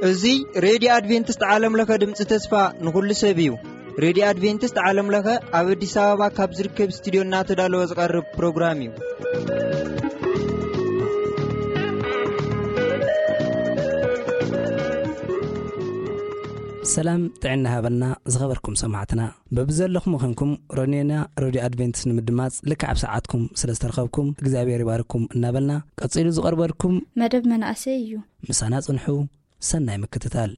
እዚ ሬድዮ ኣድቬንቲስት ዓለም ለኸ ድምፂ ተስፋ ንኹሉ ሰብ እዩ። ሬድዮ ኣድቬንቲስት ዓለም ለኸ ኣብ ኣዲስ ኣበባ ካብ ዝርከብ ስቱዲዮ እናተዳለወ ዝቐርብ ፕሮግራም እዩ። ሰላም ጥዕና ሃበና ዝኸበርኩም ሰማዕትና። በብዘለኹም ኾንኩም ሮኔና ሬድዮ ኣድቬንቲስት ንምድማፅ ልክዕ ኣብ ሰዓትኩም ስለ ዝተረኸብኩም እግዚኣብሔር ይባርኩም እናበልና፣ ቀፂሉ ዝቐርበልኩም መደብ መናእሰይ እዩ። ምሳና ጽንሑ። ሰናይ ምክትታል።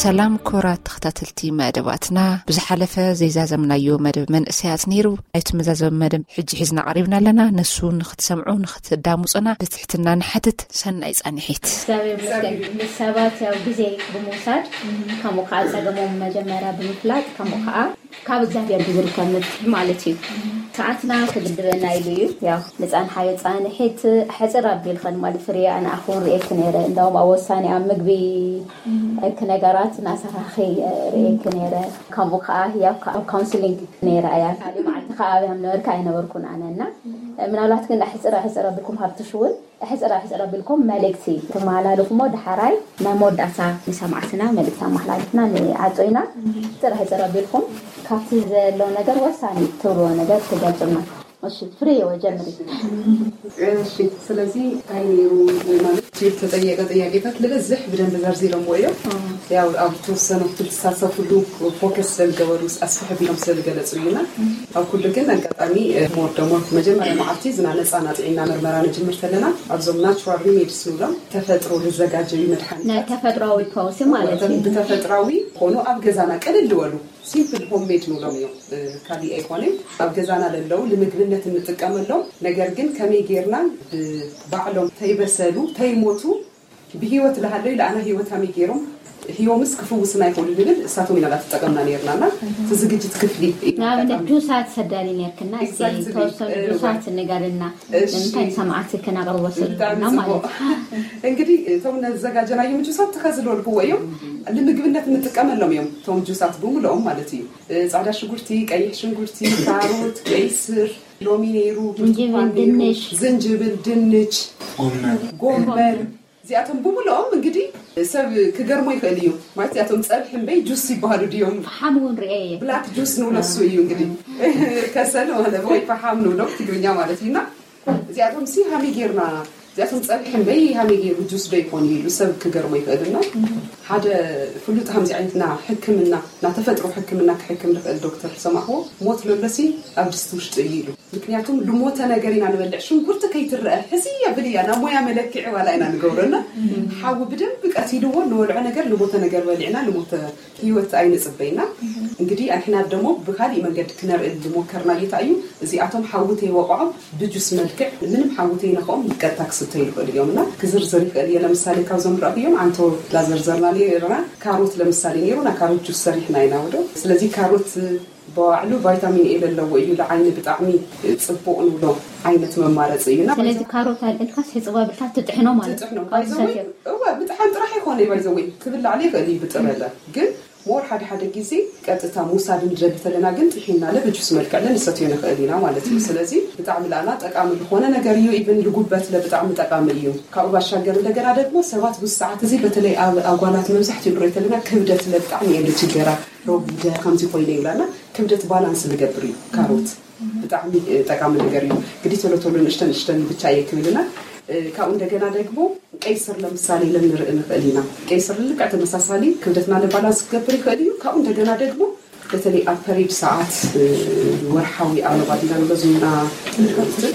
ሰላም ክቡራት ተኸታተልቲ መደባትና፣ ብዝሓለፈ ዘይዛዘምናዮ መደብ መንእሰያት ነይሩ። ናይቲ መዛዘሚ መደብ ሕጂ ሒዝና ቀሪብና ኣለና። ንሱ ንኽትሰምዑ ንኽትዳምፁና ብትሕትና ንሓትት። ሰናይ ፃንሒት። እግዚኣብሔር ይመስገን። ሰባት ያው ግዜ ብምውሳድ፣ ከምኡ ከዓ ፀገሞም መጀመርያ ብምፍላጥ፣ ከምኡ ከዓ ካብ እግዚኣብሔር ብዝርከብ መፍትሒ ማለት እዩ። ሰዓትና ክግድበና ኢሉ እዩ። ያው ንፃንሓዮ ፃንሒት ሕፅር ኣቢልኸን ማለት ፍርያ ኣነ ኣኹን ርእየኪ ነይረ። እንዳውም ኣብ ወሳኒ ኣብ ምግቢ እክ ነገራት እናሰራኺ ርእየኪ ነይረ። ከምኡ ከዓ ያው ኣብ ካውንስሊንግ ነይረ እያ። ካልእ መዓልቲ ከዓ ኣብያም ነበርካ ኣይነበርኩን ኣነ እና ምናልባት ግን ሕፅር ሕፅር ኣቢልኩም ሃብትሽ እውን ሕፅራ ሕፅራ ቢልኩም መልእክቲ ትመሃላልፉ እሞ፣ ዳሕራይ ናይ መወዳእታ ንሰማዕትና መልእክቲ ኣመሓላልፍና ንዓጾ ኢና። ሕፅራ ሕፅራ ቢልኩም ካብቲ ዘሎ ነገር ወሳኒ ትብልዎ ነገር ትገልፁልና። እሺ ፍሬ ወጀምሪ። እሺ ስለዚ እንታይ ነይሩ ማለት ዝተጠየቀ ጥያቄታት ልበዝሕ ብደንብ ዘርዚሮምዎ እዮም። ያው ኣብ ተወሰኑ ክትሳተፍሉ ፎከስ ስለዝገበሩ ኣስፍሕ ቢሎም ስለዝገለፁ እዩና ኣብ ኩሉ ግን ኣጋጣሚ ሞር ደሞ መጀመርያ መዓልቲ ዝና ነፃ ናፅዒና ምርመራ ንጅምር ተለና ኣብዞም ናቹራል ሪሜድስ ንብሎም ተፈጥሮ ዝዘጋጀዩ መድሓኒ ናይ ተፈጥሯዊ ፈውሲ ማለት እዩ። ብተፈጥራዊ ኾኑ ኣብ ገዛና ቅልል ዝበሉ ሲምፕል ሆምሜድ ንብሎም እዮም። ካሊእ ኣይኮነን ኣብ ገዛና ለለው ንምግብነት እንጥቀመሎም ነገር ግን ከመይ ጌርና ብባዕሎም ተይበሰሉ ተይሞቱ ብህይወት ለሃለው ለኣና ህይወት ሃመይ ገይሮም ህዮምስ ክፍውስና ይኽእሉ ንብል እሳቶም ኢና ላተጠቀምና ነርና እና እቲ ዝግጅት ክፍሊ እዩ። ንኣብነት ጁሳት ሰዳኒ ነርክና እስቲ Exactly. ተወሰኑ እወ። ጁሳት ንገርልና እሺ። ንምንታይ ንሰማዕቲ ክነቕርቦ ብጣዕሚ ስልክና ጽቡቕ። ማለት እዩ። እንግዲህ እቶም ነዘጋጀናዮም ጁሳት ተኸዝልወልክዎ እዮም ንምግብነት እንጥቀመሎም እዮም እቶም ጁሳት ብምልኦም ማለት እዩ እ፣ ጻዕዳ ሽጉርቲ ቀይሕ ሽጉርቲ ካሮት ቀይስር ሎሚ ነይሩ ዝንጅብል፣ ብርቱኳን ነይሩ፣ ድንሽ። ዝንጅብል ድንች ጎመን። ጎመን እዚኣቶም ብምልኦም እንግዲህ ሰብ ክገርሞ ይኽእል እዩ ማለት እዚኣቶም ፀብሒ እምበይ ጁስ ይበሃሉ ድዮም ፈሓም እውን ርኤ እየ ብላክ ጁስ ንብሎ እሱ እዩ እንግዲህ ከሰል ማለት ወይ ፈሓም ንብሎ ትግርኛ ማለት እዩ እና እዚኣቶም ሲ ሃመይ ጌርና እዚኣቶም ፀብሒ እምበይ ሃመይ ገይሩ ጁስ ዶ ይኾን ኢሉ ሰብ ክገርሞ ይኽእል እና ሓደ ፍሉጥ ከምዚ ዓይነት ና ሕክምና ና ተፈጥሮ ሕክምና ክሕክም ዝኽእል ዶክተር ዝሰማዕዎ ሞት ለሎሲ ኣብ ድስቲ ውሽጢ እዩ ኢሉ ምክንያቱም ልሞተ ነገር ኢና ንበልዕ ሽንጉርቲ ከይትረአ ሕዚ የብል እያ ናብ ሞያ መለክዒ ዋላ ኢና ንገብረና ሓዊ ብደንብ ቀቲልዎ ንበልዖ ነገር ልሞተ ነገር በሊዕና ልሞተ ህይወት ኣይንፅበይና እንግዲህ ኣንሕና ደሞ ብካሊእ መንገዲ ክነርኢ ዝሞከርና ጌታ እዩ እዚኣቶም ሓዊ ተይወቅዖም ብጁስ መልክዕ ምንም ሓዊ ተይነክኦም ቀጥታ ክስተዩ ይኽእሉ እዮም እና ክዝርዝር ይኽእል እየ ለምሳሌ ካብዞም ዝረእኽዮም ኣንቶ ላዘርዘርና ነርና ካሮት ለምሳሌ ነይሩ ና ካሮት ጁስ ሰሪሕና ኢና ወዶ ስለዚ ካሮት ብባዕሉ ቫይታሚን ኤ ለለዎ እዩ ንዓይኒ ብጣዕሚ ፅቡቕ ንብሎ ዓይነት መማረፂ እዩ እና ስለዚ ካሮት ኣልዕልካስ ሕፅባ ብልካ ትጥሕኖ ማለት ትጥሕኖ ካብ ባይዘወይ ዝሰትዮ እወ ምጥሓን ጥራሕ ይኮነ ባይዘወይ ክብላዕ ይኽእል እዩ ብጥረለ ግን ሞር ሓደ ሓደ ግዜ ቀጥታ ምውሳድ ንደሊ ተለና ግን ጥሒና ለበጁስ መልክዕ ለንሰትዮ ንኽእል ኢና ማለት እዩ ስለዚ ብጣዕሚ ለኣና ጠቃሚ ዝኾነ ነገር እዩ ኢቭን ልጉበት ለብጣዕሚ ጠቃሚ እዩ ካብኡ ባሻገር እንደገና ደግሞ ሰባት ብዙ ሰዓት እዚ በተለይ ኣብ ኣጓላት መብዛሕትኡ ንሪኦ ተለና ክብደት ለብጣዕሚ እየ ልችገራ ረጉደ ከምዚ ኮይነ ይብላና ክብደት ባላንስ ልገብር እዩ ካሮት ብጣዕሚ ጠቃሚ ነገር እዩ እንግዲህ ቶሎ ቶሎ ንእሽተን ንእሽተን ብቻ እየ ክብልና ካብኡ እንደገና ደግሞ ቀይስር ለምሳሌ ለንርኢ ንኽእል ኢና ቀይስር ልክዕ ተመሳሳሊ ክብደትና ለባላንስ ክገብር ይኽእል እዩ ካብኡ እንደገና ደግሞ በተለይ ኣብ ፐሬድ ሰዓት፣ ወርሓዊ ኣበባ ዲና ንብሎ ዝምና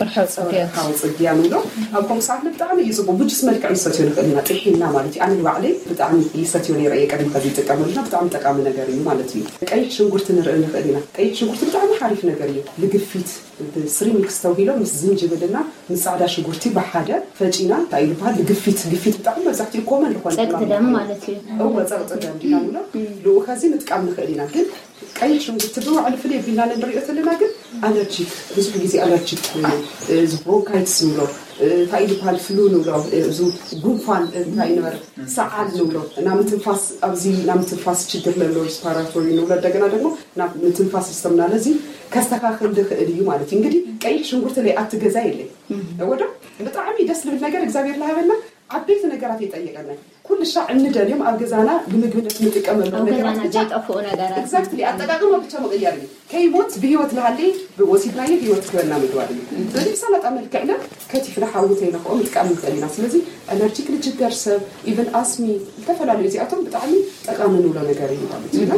ወርሓዊ ጽግያት። ወርሓዊ ጽግያ ንብሎ። ኣብ ከምኡ ሰዓት ብጣዕሚ እዩ ጽቡቅ። ብጁስ መልክዕ ንሰትዮ ንኽእል ኢና፣ ጥሒና ማለት እዩ። ኣነ ንባዕለይ ብጣዕሚ ይሰትዮ ነይረ እየ፣ ቀድሚ ከዚ ይጥቀመሉና። ብጣዕሚ ጠቃሚ ነገር እዩ ማለት እዩ። ቀይሕ ሽንጉርቲ ንርኢ ንኽእል ኢና። ቀይሕ ሽንጉርቲ ብጣዕሚ ሓሪፍ ነገር እዩ። ልግፊት ብስሪሚክስ ተውሂሎ ምስ ዝንጅብልና ምስ ጻዕዳ ሽጉርቲ ብሓደ ፈጪና እንታይ ይበሃል፣ ግፊት፣ ግፊት ብጣዕሚ መብዛሕትኡ ኮመን ዝኾነ ጸቅጢ ሕማም ደም እዩ። ማለት እዩ። እወ፣ ጸቅጢ ደም ዲና ንብሎ። ልኡ ከዚ ምጥቃም ንኽእል ኢና። ግን ቀይሕ ሽንጉርቲ ብባዕሉ ፍልይ ኣቢልና ንሪኦ ዘለና ግን ኣለርጂክ፣ ብዙሕ ግዜ ኣለርጂክ ኮይኑ፣ እዚ ብሮንካይትስ ንብሎ፣ እንታይ ይበሃል፣ ፍሉ ንብሎ፣ እዚ ጉንፋን እንታይ ንበር፣ ሰዓል ንብሎ፣ እና ምትንፋስ፣ ኣብዚ እና ምትንፋስ ችግር ለሎ ሪስፓራቶሪ ንብሎ፣ እንደገና ደግሞ ናብ ምትንፋስ ሲስተምና ነዚ ከስተካክል ዝኽእል እዩ ማለት እዩ። እንግዲህ ቀይሕ ሽንጉርቲ ለይ ኣቲ ገዛ የለይ ወዶ ብጣዕሚ ደስ ልብል ነገር እግዚኣብሔር ለሃበና ዓበይቲ ነገራት የጠየቀና። ኩሉ ሻዕ እንደልዮም ኣብ ገዛና ንምግብነት ንጥቀመሉ ኣብ ነገራት ገዛና ብቻ ዘይጠፍኡ ነገራት። ኤግዛክትሊ፣ ኣጠቃቅማ ብቻ ምቅያር እዩ። ከይሞት ብህይወት ለሃለይ ወሲድናዮ ህይወት ክበና ምግባር እዩ። ስለዚ ብሰላጣ መልክዕና ከቲፍና ሓዊ ተይነክኦ ምጥቃም ንኽእል ኢና። ስለዚ ኣለርጂክ ልጅገር ሰብ፣ ኢቨን ኣስሚ፣ ዝተፈላለዩ እዚኣቶም ብጣዕሚ ጠቃሚ ንብሎ ነገር እዩ ማለት እዩ።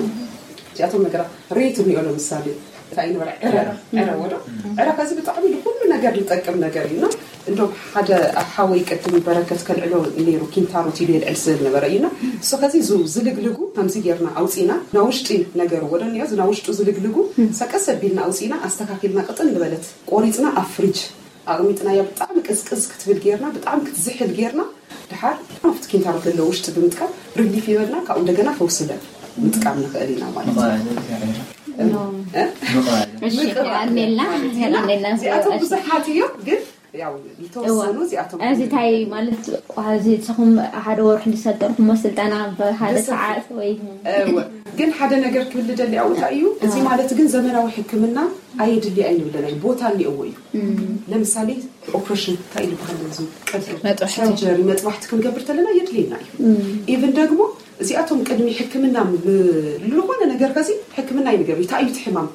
እዚኣቶም ነገራት ሬት እንዮ ለምሳሌ እንታይ ንበላ ዕረ፣ ዕረ ወዶ ዕረ ከዚ ብጣዕሚ ንኩሉ ነገር ዝጠቅም ነገር እዩ። እና እንደም ሓደ ሓወይ ቅድም በረከት ከልዕሎ ነይሩ፣ ኪንታሮት ኢሉ የልዕል ስል ነበረ እዩና። እሱ ከዚ ዙ ዝልግልጉ ከምዚ ጌርና ኣውፂና፣ ና ውሽጢ ነገር ወዶ እኒኦ፣ እዚ ና ውሽጡ ዝልግልጉ ሰቀስ ኣቢልና ኣውፂና ኣስተካኪልና ቅጥን ዝበለት ቆሪፅና ኣብ ፍሪጅ ኣቕሚጥናያ። ብጣዕሚ ቅዝቅዝ ክትብል ጌርና፣ ብጣዕሚ ክትዝሕል ጌርና፣ ድሓር ኣብቲ ኪንታሮት ለለ ውሽጢ ብምጥቃም ሪሊፍ ይበልና። ካብኡ እንደገና ፈውስለ ምጥቃም ንኽእል ኢና ማለት እዩ። እ? እሺ፣ ኣሜላ፣ ኣሜላ። እዚኣቶም ብዙሓት እዮም፣ ግን ያው ዝተወሰኑ እዚኣቶም እዚ እንታይ ማለት፣ እዚ ንስኹም ሓደ ወርሒ ዝሰልጠንኩሞ ስልጠና ብሓደ ብሰፊሕ። ሰዓት ወይ እወ። ግን ሓደ ነገር ክብል ደሊ ኣብኡ እንታይ እዩ፣ እዚ ማለት ግን ዘመናዊ ሕክምና ኣየድሊ ኣይንብለና እዩ፣ ቦታ እኒኦዎ እዩ። ለምሳሌ ኦፕሬሽን እንታይ ዝበሃል እዚ ቀዶ መጥባሕቲ። ሰርጀሪ መጥባሕቲ ክንገብር ተለና የድልየና እዩ። ኢቭን ደግሞ እዚኣቶም ቅድሚ ሕክምና ብ- ዝኾነ ነገር ከዚ ሕክምና ይንገር እንታይ እዩ እቲ ሕማም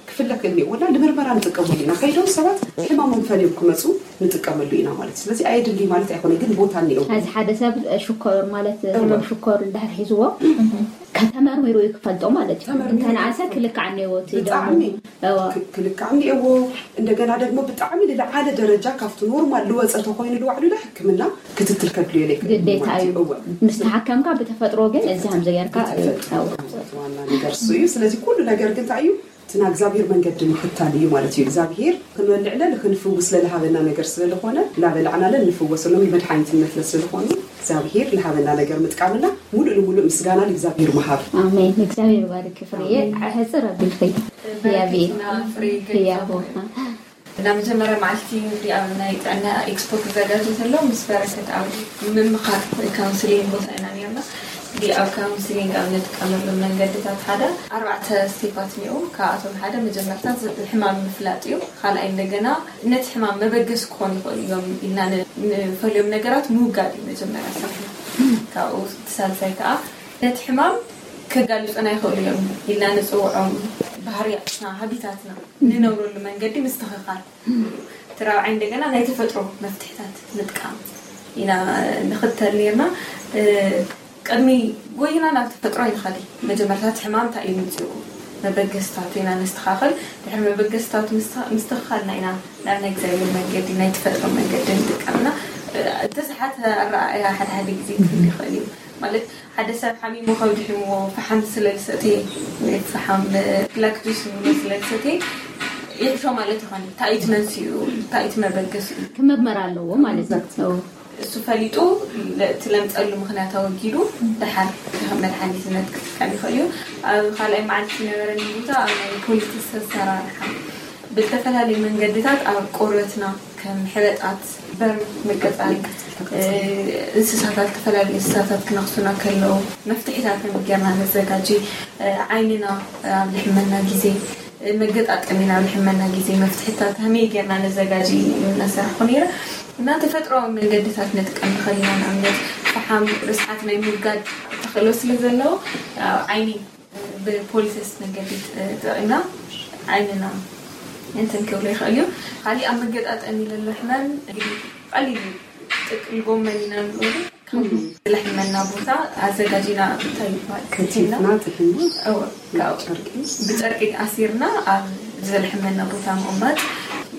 ክፍለክ እኒኦና ንምርመራ ንጥቀመሉ ኢና። ከይዶም ሰባት ሕማሞም ፈልዮም ክመፁ ንጥቀመሉ ኢና ማለት። ስለዚ ኣየድሊ ማለት ኣይኮነ፣ ግን ቦታ እኒኦ። እዚ ሓደ ሰብ ሽኮር ማለት ህመም ሽኮር እንድሕር ሒዝዎ ከተመርሚሩ እዩ ክፈልጦ ማለት እዩ። ተመርሚሩ እንተነኣሰ ክልካዕ እኒዎ እቲ ደሞ ብጣዕሚ እዋ ክ- ክልካዕ እኒኦዎ። እንደገና ደግሞ ብጣዕሚ ልዓለ ደረጃ ካብቲ ኖርማል ልወፀ ተኮይኑ ልባዕሉ ላ ሕክምና ክትትል ከድልዮ ኢለ ግዴታ እዩ። ምስ ተሓከምካ ብተፈጥሮ ግን እዚ ከምዚ ጌርካ ዋና ነገር እሱ እዩ። ስለዚ ኩሉ ነገር ግን እንታይ እዩ፣ እቲ ናይ እግዚኣብሔር መንገዲ ምኽታል እዩ ማለት እዩ። እግዚኣብሔር ክንበልዕለ ንክንፍውስ ለልሃበና ነገር ስለዝኾነ ላበላዕናለ ንፍወሰሎም መድሓኒትነት ስለዝኾኑ እግዚኣብሔር ልሃበና ነገር ምጥቃምና ሙሉእ ንሙሉእ ምስጋና ልእግዚኣብሔር ምሃብ። ኣሜን። እግዚኣብሔር ባርክ ፍርየ። ሕፅር ኣቢልኺ ህያብ በረከትና ፍሬ ገሊፃ ህያብ እና መጀመርያ መዓልቲ እዚኣ ናይ ጥዕና ኤክስፖ ክዘጋጀ ዘሎ ምስ በረከት ኣብ ምምኻር ካውንስሊንግ ቦታ ኢና ነርና። እዚ ኣብ ካውንስሊንግ ኣብ ንጥቀመሎም መንገድታት ሓደ ኣርባዕተ ስቴፓት እኒኦ። ካብኣቶም ሓደ መጀመርታ ሕማም ምፍላጥ እዩ። ካልኣይ እንደገና ነቲ ሕማም መበገስ ክኾኑ ይኽእሉ እዮም ኢልና ንፈልዮም ነገራት ምውጋድ እዩ መጀመርያ ስራሕና። ካብኡ እቲ ሳልሳይ ከዓ ነቲ ሕማም ከጋልፁና ይኽእሉ እዮም ኢልና ንፅውዖም ባህርያትና ሃቢታትና ንነብረሉ መንገዲ ምስትኽኻል። እቲ ራብዓይ እንደገና ናይ ተፈጥሮ መፍትሕታት ምጥቃም ኢና ንኽተል ነርና። ቅድሚ ጎይና ናብ ተፈጥሮ ይንኸዲ። መጀመርታት ሕማም እንታይ እዩ ምፅኡ መበገስታቱ ኢና ነስተኻኽል። ድሕሪ መበገስታቱ ምስትኽኻልና ኢና ናብ ናይ እግዚኣብሔር መንገዲ ናይ ተፈጥሮ መንገዲ ንጥቀምና። ተስሓተ ኣረኣእያ ሓደ ሓደ ግዜ ክህሉ ይኽእል እዩ። ማለት ሓደ ሰብ ሓሚሙ ከብዲ ሒምዎ ፈሓም ስለልሰተየ ፈሓም ብላክ ጁስ ንብሎ ስለልሰተየ ይሕሾ ማለት ይኾን። እንታይ እቲ መንስኡ እንታይ እቲ መበገስኡ ክመርመር ኣለዎ ማለት እዩ። እሱ ፈሊጡ እቲ ለምፀሉ ምክንያት ኣወጊዱ ደሓር መድሓኒትነት ክጥቀም ይኽእል እዩ። ኣብ ካልኣይ መዓልቲ ዝነበረኒ ቦታ ኣብ ናይ ፖሊስ ኣሰራርሓ ብዝተፈላለዩ መንገድታት ኣብ ቆርበትና ከም ሕበጣት በርም መቀፃል እንስሳታት ዝተፈላለዩ እንስሳታት ክነክሱና ከለዉ መፍትሒታት ከመይ ጌርና ነዘጋጂ ዓይንና ኣብ ልሕመና ግዜ መገጣጠሚና ኣብ ልሕመና ግዜ መፍትሕታት ከመይ ጌርና ነዘጋጂ እናሰርሕኩ ነይረ እና ተፈጥሮዊ መንገድታት ንጥቀም ንኽእል ኢና ንኣብነት ፈሓም ርስሓት ናይ ምውጋድ ተኽእሎ ስለ ዘለዎ ዓይኒ ብፖሊሰስ መንገዲ ጥዕና ዓይንና እንትን ክብሎ ይኽእል እዩ። ካሊእ ኣብ መገጣጠሚ ለሎ ሕመም እንግዲህ ቀሊል ጥቅል ጎመን ኢና ንብሎ ዝለሕመና ቦታ ኣዘጋጂና እንታይ ይባሃል? ከቲፍና ጥሒና እወ፣ ካብ ጨርቂ ብጨርቂ ኣሲርና ኣብ ዝለሕመና ቦታ ምቕማጥ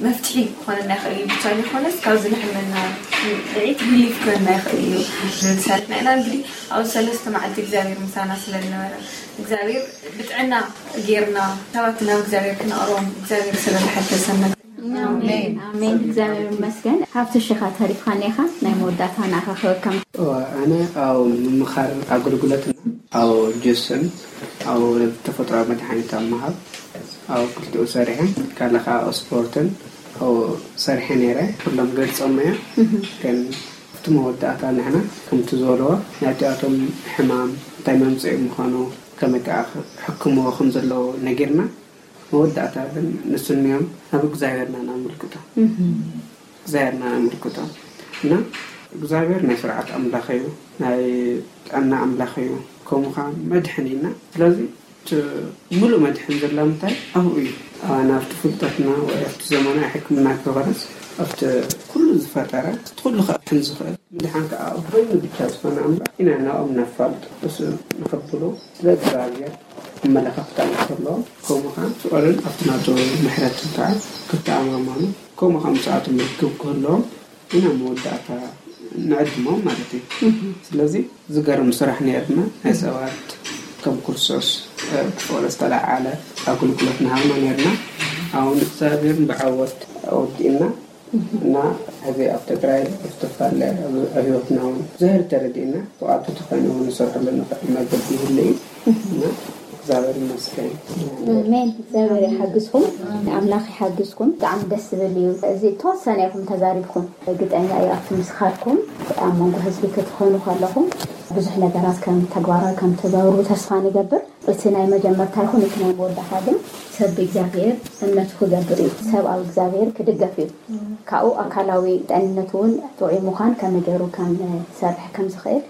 መፍትሒ ክኾነና ይኽእል እዩ። ብቻ ዘይኮነስ ካብ ዝለሕመና ስምዒት ሪሊፍ ክኾነና ይኽእል እዩ። ዝብል ሰሪሕና ኢና። እንግዲህ ኣብ ሰለስተ መዓልቲ እግዚኣብሔር ምሳና ስለ ዝነበረ እግዚኣብሔር ብጥዕና ጌርና ሰባት ናብ እግዚኣብሔር ክነቕርቦም እግዚኣብሔር ስለ ዝሓገዘና ኣሜን ኣሜን። እግዚኣብሔር ይመስገን። ሃብትሽ ኢኻ ተሪፍካኒ ኢኻ። ናይ መወዳእታ ንኣኻ ክበካ። ኣነ ኣብ ምምኻር ኣገልግሎትና ኣብ ጁስን ኣብ ተፈጥሮኣዊ መድሓኒት ኣብ ምሃብ ኣብ ክልቲኡ ሰሪሐ ካልእ ከዓ ኣብ ስፖርትን ኣብ ሰሪሐ ነይረ። ኩሎም ገልፆም እያ ግን ኣብቲ መወዳእታ ንሕና ከምቲ ዝበልዎ ናይቲኣቶም ሕማም እንታይ መምፅኢ ምዃኑ ከመይ ከዓ ሕክምዎ ከም ዘለዎ ነጊርና መወዳእታ ግን ንስንዮም ናብ እግዚኣብሔርና ናምልክቶ እግዚኣብሔርና ናምልክቶ እና እግዚኣብሔር ናይ ስርዓት ኣምላኽ እዩ፣ ናይ ጥዕና ኣምላኽ እዩ፣ ከምኡ ከዓ መድሕን እዩ እና ስለዚ እቲ ሙሉእ መድሕን ዘላ ምንታይ ኣብኡ እዩ። ናብቲ ፍልጠትና ወይ ኣብቲ ዘመናዊ ሕክምና ከይኮነስ ኣብቲ ኩሉ ዝፈጠረ እቲ ኩሉ ከድሕን ዝኽእል ምድሓን ከዓ ኣብ በይኑ ብቻ ዝኾነ ኣምላኽ ኢና ናብኦም ነፋልጥ እሱ ንኸብሉ ስለ እግዚኣብሔር ኣመለኻኽታ እንተለዎም ከምኡ ከዓ ፍቕርን ኣብቲ ናቱ ምሕረትን ከዓ ክተኣማመኑ ከምኡ ከዓ ምስኣቶም ርክብ ክህልዎም ኢና መወዳእታ ንዕድሞም ማለት እዩ። ስለዚ ዝገርም ስራሕ ነርና ናይ ሰባት ከም ክርስቶስ ብፍቕሪ ዝተለዓለ ኣገልግሎት ንሃብና ነርና። ኣሁን እግዚኣብሔር ብዓወት ኣወዲእና እና ሕዚ ኣብ ትግራይ ኣብ ዝተፈላለየ ኣብ ህይወትና እውን ብዙሕ ተረዲእና ብኣቱ ተኾይኑ እውን ንሰርሐሉ ንኽእል መገዲ ይህሉ እዩ እና እግዚኣብሔር ይመስገን። ኣሜን። እግዚኣብሔር ይሓግዝኩም፣ ኣምላኽ ይሓግዝኩም። ብጣዕሚ ደስ ዝብል እዩ። እዚ ተወሰነ ኢኹም ተዛሪብኩም፣ ግጠኛ እዩ ኣብቲ ምስኻርኩም ኣብ መንጎ ህዝቢ ክትኾኑ ከለኹም ብዙሕ ነገራት ከም ተግባራዊ ከም ትገብሩ ተስፋ ንገብር። እቲ ናይ መጀመርታ ይኹን እቲ ናይ መወዳእታ ግን ሰብ ብእግዚኣብሔር እምነቱ ክገብር እዩ። ሰብ ኣብ እግዚኣብሔር ክድገፍ እዩ። ካብኡ ኣካላዊ ጥዕንነቱ እውን ጥዑይ ምዃን ከመይ ገይሩ ከም ዝሰርሕ ከም ዝኽእል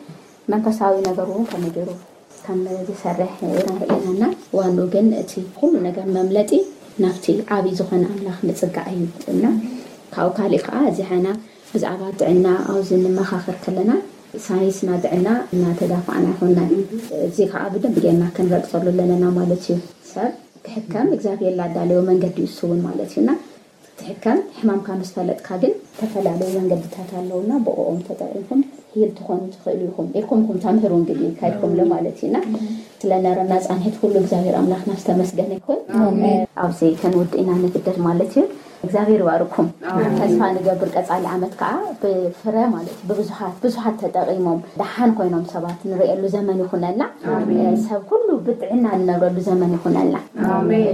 መንፈሳዊ ነገሩ እውን ከመይ ገይሩ ከም ዝሰርሕ ኢና ርኢና እና ዋንኡ ግን እቲ ኩሉ ነገር መምለጢ ናብቲ ዓብዪ ዝኾነ ኣምላኽ ምፅጋዕ እዩ እና ካብኡ ካሊእ ከዓ እዚ ሓና ብዛዕባ ጥዕና ኣብዚ ንመኻኸር ከለና ሳይንስና ጥዕና እናተዳፋእና ይኾንና እዚ ከዓ ብደንብ ጌርና ክንረግፀሉ ኣለና ማለት እዩ ሰብ ክሕከም እግዚኣብሔር ላዳለዮ መንገዲ እዩ እሱ እውን ማለት እዩ እና ትሕከም ሕማምካ ምስ ፈለጥካ ግን ዝተፈላለዩ መንገድታት ኣለውና ብኦም ተጠቂምኩም ሂል ትኾኑ ትኽእሉ ኢኹም ኢልኩምኩም ተምህሩ እንግዲህ ካይድኩምሉ ማለት እዩ እና ስለነበረና ፃንሒት ኩሉ እግዚኣብሔር ኣምላኽና ዝተመስገነ ይኹን ኣብዚ ከንውድእ ኢና ንግደድ ማለት እዩ እግዚኣብሔር ይባርኩም ተስፋ ንገብር ቀፃሊ ዓመት ከዓ ብፍረ ማለት እዩ ብብዙሓት ብዙሓት ተጠቂሞም ደሓን ኮይኖም ሰባት ንርእየሉ ዘመን ይኹነልና ሰብ ኩሉ ብጥዕና ንነብረሉ ዘመን ይኹነልና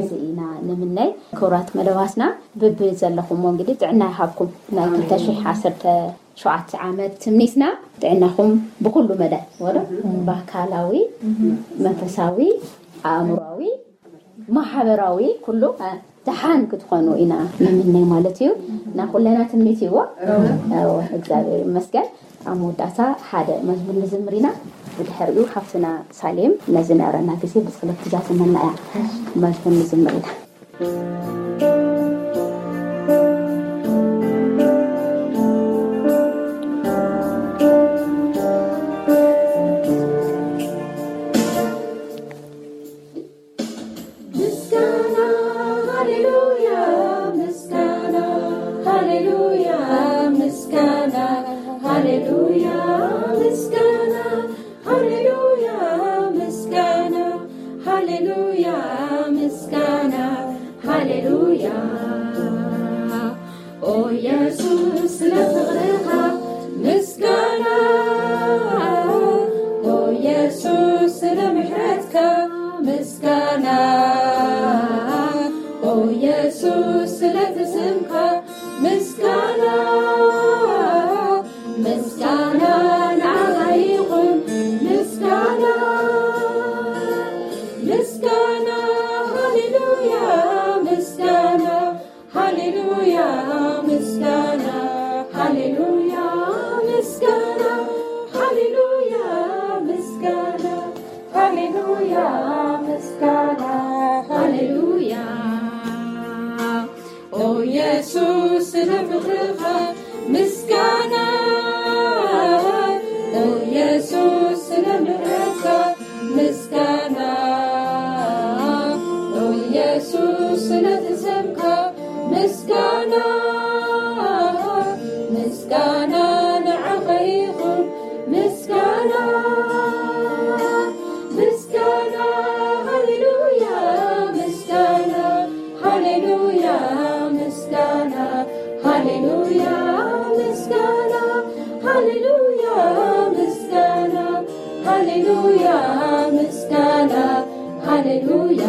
እዚ ኢና ንምነይ ክቡራት መደባትና ብቢ ዘለኹሞ እንግዲህ ጥዕና ይሃብኩም ናይ ክልተ ሽሕ ዓሰርተ ሸውዓተ ዓመት ትምኒትና ጥዕናኹም ብኩሉ መዳይ ወዶ ብኣካላዊ መንፈሳዊ ኣእምሮዊ ማሕበራዊ ኩሉ ደሓን ክትኾኑ ኢና ንምነይ ማለት እዩ እና ኩለና ትምኒት እዎ እግዚኣብሔር ይመስገን ኣብ መወዳእታ ሓደ መዝሙር ንዝምር ኢና ብድሕሪኡ ሓፍትና ሳሌም ነዚ ነረና ግዜ ብፅለት ትዛዝመና እያ መዝሙር ንዝምር ኢና ምስጋና፣ ኦ ኢየሱስ፣ ስለቲ ስምካ ምስጋና፣ ምስጋና ንዓኻ ይኹን። ምስጋና፣ ምስጋና፣ ሃሌሉያ፣ ምስጋና፣ ሃሌሉያ፣ ምስጋና፣ ሃሌሉያ፣ ምስጋና፣ ሃሌሉያ፣ ምስጋና፣ ሃሌሉያ፣ ምስጋና፣ ሃሌሉያ።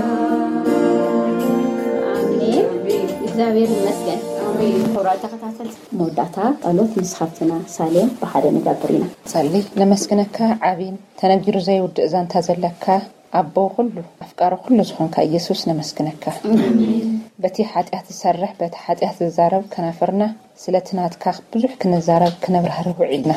ኣሜን። እግዚኣብሔር ይመስገን። ኣሜን። ክቡራት ተኸታተልቲ፣ መወዳእታ ጸሎት ምስ ሓብትና ሳሌም ብሓደ ንገብር ኢና። ጸሊ። ነመስግነካ፣ ዓቢን ተነጊሩ ዘይውድእ ዛንታ ዘለካ ኣቦ ኩሉ፣ ኣፍቃሪ ኩሉ ዝኾንካ ኢየሱስ፣ ነመስግነካ። በቲ ሓጢኣት ዝሰርሕ፣ በቲ ሓጢኣት ዝዛረብ ከናፍርና፣ ስለቲ ናትካ ብዙሕ ክንዛረብ ክነብራህርህ ውዒልና።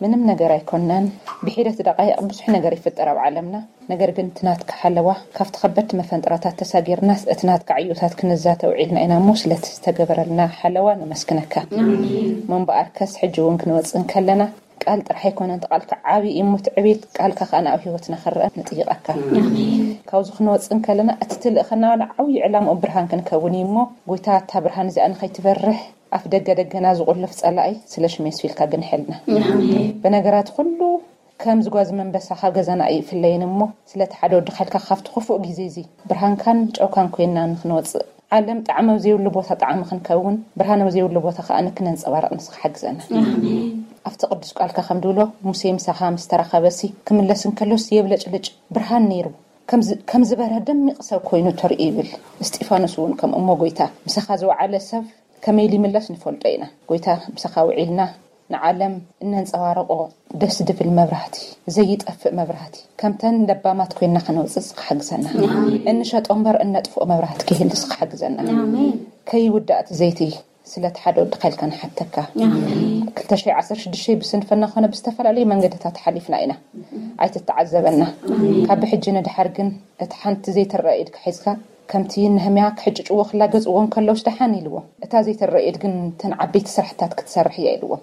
ምንም ነገር ኣይኮንናን። ብሒደት ደቓይቕ ብዙሕ ነገር ይፍጠር ኣብ ዓለምና። ነገር ግን እቲ ናትካ ሓለዋ፣ ካብቲ ከበድቲ መፈንጥራታት ተሳጊርናስ እቲ ናትካ ዕዮታት ክንዛተ ውዒልና ኢና እሞ፣ ስለቲ ዝተገበረልና ሓለዋ ነመስግነካ። እሞ እምበኣርከስ ሕጂ እውን ክንወጽእ እንከለና፣ ቃል ጥራሕ ኣይኮነን፣ እቲ ቃልካ ዓብዪ እዩ እሞ፣ እቲ ዕቤት ቃልካ ከኣ ናብ ህይወትና ክረአ ንጥይቐካ። ካብዚ ክንወጽእ እንከለና፣ እቲ ትልእኸና ዋላ ዓብዪ ዕላምኡ ብርሃን ክንከውን እዩ እሞ፣ ጎይታ፣ እታ ብርሃን እዚኣ ንኸይትበርህ ኣፍ ደገ ደገና ዝቑልፍ ጸላኢ፣ ስለ ሽመይ ስቢልካ ግንሐልና። ብነገራት ኩሉ ከም ዝጓዝ መንበሳ ካብ ገዛና ኣይፍለየን እሞ፣ ስለቲ ሓደ ወድኻ ኢልካ ካብቲ ክፉእ ግዜ እዚ ብርሃንካን ጨውካን ኮይንና ንኽንወጽእ፣ ዓለም ጣዕሚ ኣብ ዘይብሉ ቦታ ጣዕሚ ክንከውን፣ ብርሃን ኣብ ዘይብሉ ቦታ ከኣ ንክነንጸባርቕ ንስኻ ሓግዘና። ኣብቲ ቅዱስ ቃልካ ከም ድብሎ፣ ሙሴ ምሳኻ ምስ ተራኸበሲ፣ ክምለስ እንከሎስ የብለጭልጭ ብርሃን ነይሩ፣ ከም ዝ-፣ ከም ዝበርሀ ደሚቕ ሰብ ኮይኑ ተርእዩ ይብል። እስጢፋኖስ እውን ከምኡ እሞ፣ ጎይታ፣ ምሳኻ ዝወዓለ ሰብ ከመይ ኢሉ ይምለስ ንፈልጦ ኢና። ጎይታ፣ ምሳኻ ውዒልና ንዓለም እነንጸባርቖ ደስ ድብል መብራህቲ፣ ዘይጠፍእ መብራህቲ፣ ከምተን ለባማት ኮይንና ከነውጽእ ንስኻ ሓግዘና። እንሸጦ እምበር እነጥፍኦ መብራህቲ ከይህሉ ንስኻ ሓግዘና። ከይውዳእ እቲ ዘይቲ ስለቲ ሓደ ወድኻ ኢልካ ንሓተካ። ክልተ ሽሕ ዓሰርተ ሽዱሽተ ብስንፍና ኮነ ብዝተፈላለዩ መንገድታት ሓሊፍና ኢና። ኣይትተዓዘበና። ካብ ብሕጂ ንድሓር ግን እቲ ሓንቲ ዘይትረአ ኢድካ ሒዝካ፣ ከምቲ ነህምያ ክሕጭጭዎ ክላገጽዎ እንከለውስ ደሓን ኢልዎም። እታ ዘይትረአ ኢድ ግን እተን ዓበይቲ ስራሕታት ክትሰርሕ እያ ኢልዎም።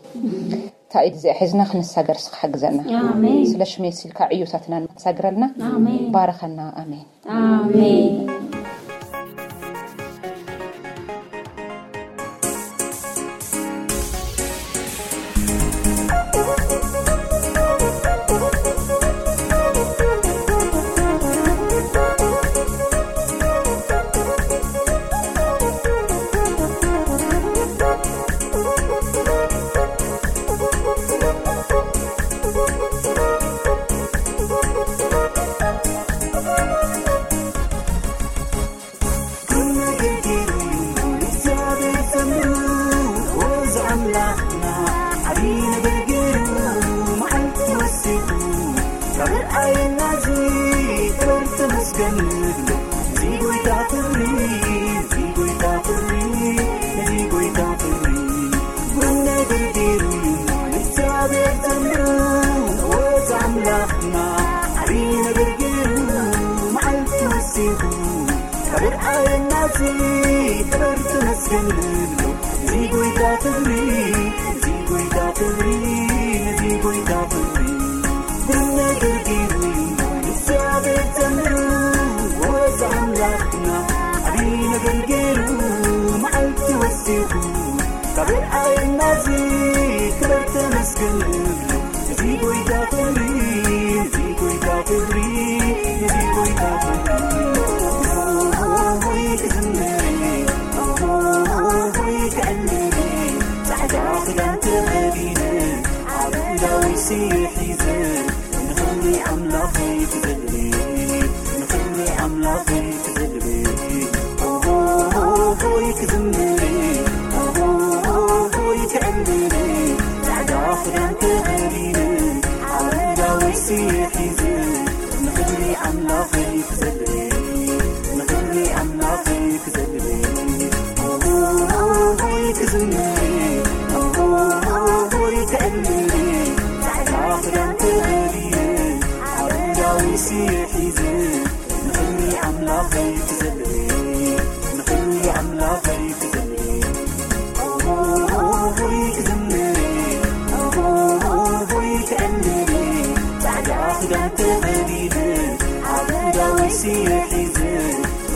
እታ ኢድ እዚኣ ሒዝና ክንሳገር እስኻ ሓግዘና። ኣሜን። ስለ ሽመይ ሲልካ ዕዮታትና ንሳግረልና። ኣሜን። ባርኸና። ኣሜን። ኣሜን። ስየ ሒዘ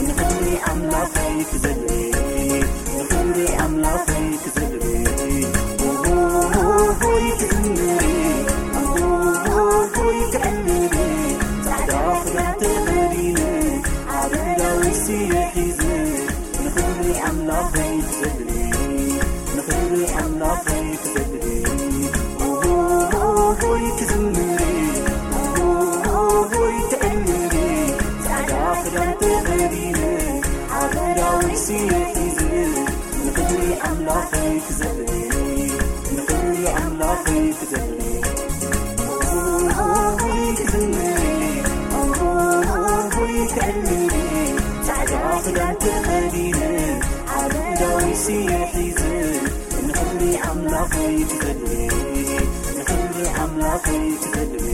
ንኽብሪ ኣምላኸይ ክዘምር፣ ንኽብሪ ኣምላኸይ ክዘምር፣ ኦሆሆሆይ ክዝምር፣ ኦሆሆሆይ ክዕልል፣ ጻዕዳ ክዳን ተኸዲነ፣ ዓቢ ዳዊት ስየ ሒዘ፣ ንኽብሪ ኣምላኸይ ክዘምር፣ ንኽብሪ ኣምላኸይ ክዘምር፣ ኦሆሆሆይ ክዝምር፣ ኦሆሆሆይ ክዕልል፣ ጻዕዳ ክዳን ተኸዲነ፣ ዓቢ ዳዊት ስየ ሒዘ፣ ንኽብሪ ኣምላኸይ ክዘምር፣ ንኽብሪ ኣምላኸይ ክዘምር፣ ኦሆሆሆይ ክዝምር፣ ኦሆሆሆይ ክዕልል፣ ጻዕዳ ክዳን ተኸዲነ፣ ዓቢ ዳዊት ስየ ሒዘ፣ ንኽብሪ ኣምላኸይ ክዘምር፣ ንኽብሪ ኣምላኸይ ክዘምር፣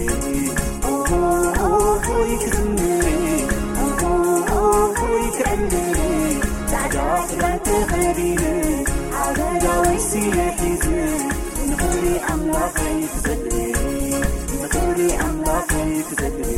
ኦሆሆሆይ ክዝምር፣ ኦሆሆሆይ ክዕልል፣ ጻዕዳ ክዳን ተኸዲነ፣ ዓቢ ዳዊት ስየ ሒዘ፣ ንኽብሪ ኣምላኸይ ክዘምር፣ ንኽብሪ ኣምላኸይ ክዘምር።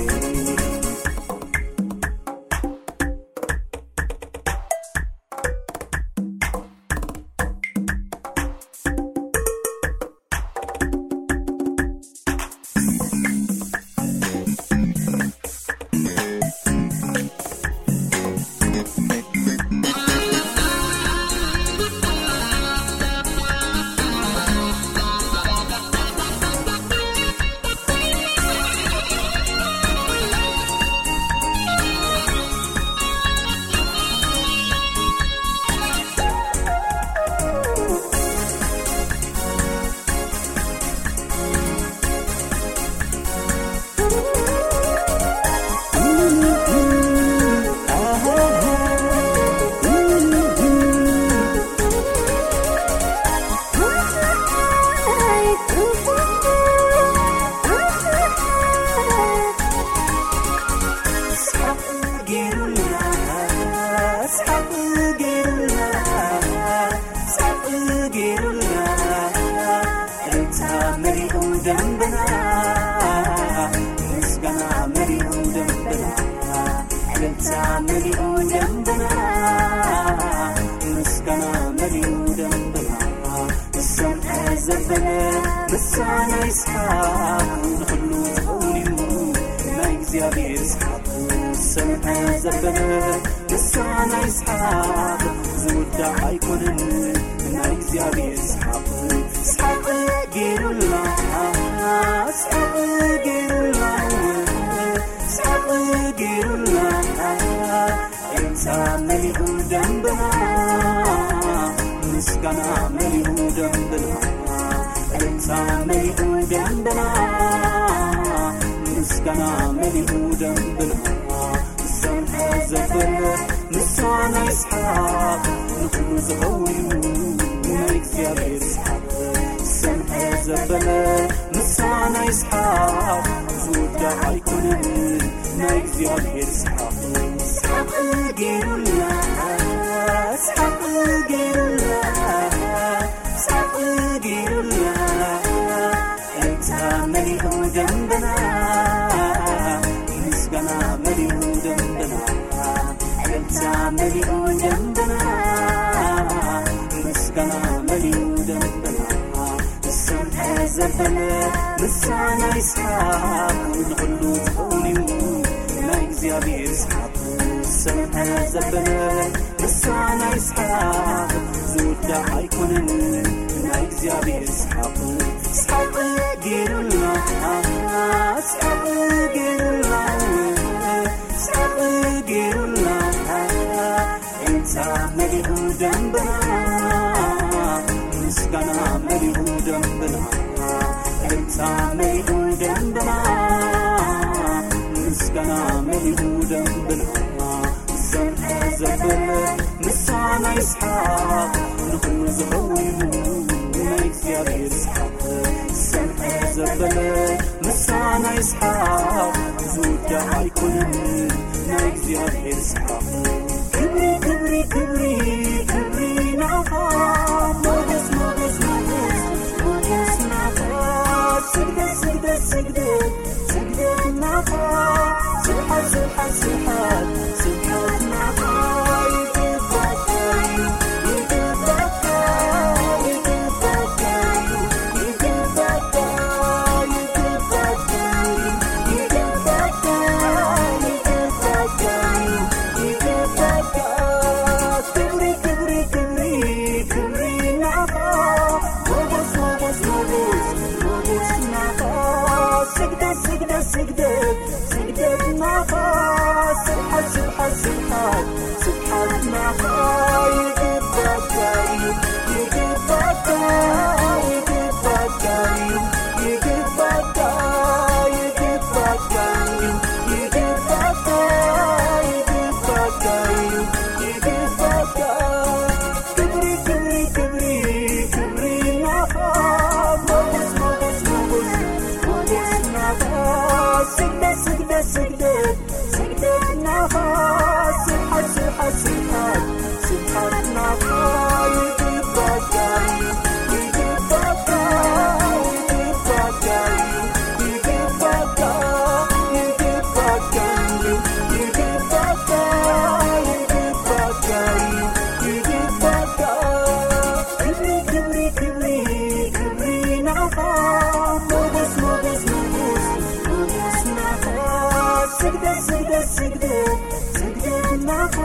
ስግደት ስግደት ናኻ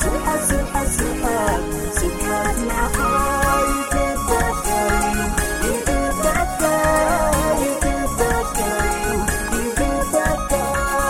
ስብሓት ስብሓት ስብሓት ስብሓት ናኻ ይግባካ ይግባካ ይግባካ ይግባካ ይግባካ